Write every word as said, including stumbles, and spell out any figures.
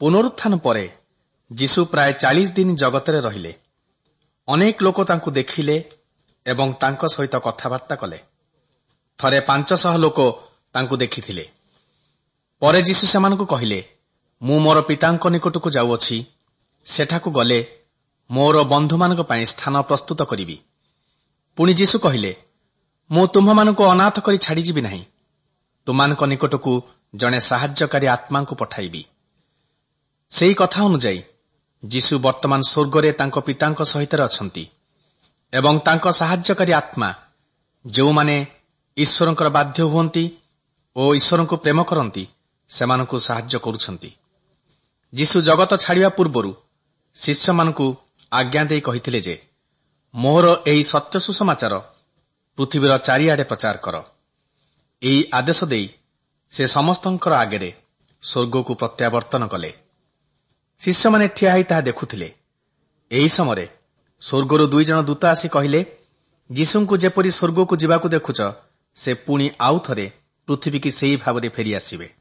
ପୁନରୁତ୍ଥାନ ପରେ ଯୀଶୁ ପ୍ରାୟ ଚାଳିଶ ଦିନ ଜଗତରେ ରହିଲେ। ଅନେକ ଲୋକ ତାଙ୍କୁ ଦେଖିଲେ ଏବଂ ତାଙ୍କ ସହିତ କଥାବାର୍ତ୍ତା କଲେ। ଥରେ ପାଞ୍ଚଶହ ଲୋକ ତାଙ୍କୁ ଦେଖିଥିଲେ। ପରେ ଯୀଶୁ ସେମାନଙ୍କୁ କହିଲେ, ମୁଁ ମୋର ପିତାଙ୍କ ନିକଟକୁ ଯାଉଅଛି, ସେଠାକୁ ଗଲେ ମୋର ବନ୍ଧୁମାନଙ୍କ ପାଇଁ ସ୍ଥାନ ପ୍ରସ୍ତୁତ କରିବି। ପୁଣି ଯୀଶୁ କହିଲେ, ମୁଁ ତୁମ୍ଭମାନଙ୍କୁ ଅନାଥ କରି ଛାଡ଼ିଯିବି ନାହିଁ, ତୁମାନଙ୍କ ନିକଟକୁ ଜଣେ ସାହାଯ୍ୟକାରୀ ଆତ୍ମାଙ୍କୁ ପଠାଇବି। ସେହି କଥା ଅନୁଯାୟୀ ଯୀଶୁ ବର୍ତ୍ତମାନ ସ୍ୱର୍ଗରେ ତାଙ୍କ ପିତାଙ୍କ ସହିତ ଅଛନ୍ତି ଏବଂ ତାଙ୍କ ସାହାଯ୍ୟକାରୀ ଆତ୍ମା ଯେଉଁମାନେ ଈଶ୍ୱରଙ୍କର ବାଧ୍ୟ ହୁଅନ୍ତି ଓ ଈଶ୍ୱରଙ୍କୁ ପ୍ରେମ କରନ୍ତି, ସେମାନଙ୍କୁ ସାହାଯ୍ୟ କରୁଛନ୍ତି। ଯୀଶୁ ଜଗତ ଛାଡ଼ିବା ପୂର୍ବରୁ ଶିଷ୍ୟମାନଙ୍କୁ ଆଜ୍ଞା ଦେଇ କହିଥିଲେ ଯେ, ମୋର ଏହି ସତ୍ୟ ସୁସମାଚାର ପୃଥିବୀର ଚାରିଆଡ଼େ ପ୍ରଚାର କର। ଏହି ଆଦେଶ ଦେଇ ସେ ସମସ୍ତଙ୍କର ଆଗରେ ସ୍ୱର୍ଗକୁ ପ୍ରତ୍ୟାବର୍ତ୍ତନ କଲେ। ଶିଷ୍ୟମାନେ ଠିଆ ହୋଇ ତାହା ଦେଖୁଥିଲେ। ଏହି ସମୟରେ ସ୍ୱର୍ଗରୁ ଦୁଇ ଜଣ ଦୂତ ଆସି କହିଲେ, ଯୀଶୁଙ୍କୁ ଯେପରି ସ୍ୱର୍ଗକୁ ଯିବାକୁ ଦେଖୁଛ, ସେ ପୁଣି ଆଉ ଥରେ ପୃଥିବୀକି ସେହି ଭାବରେ ଫେରିଆସିବେ।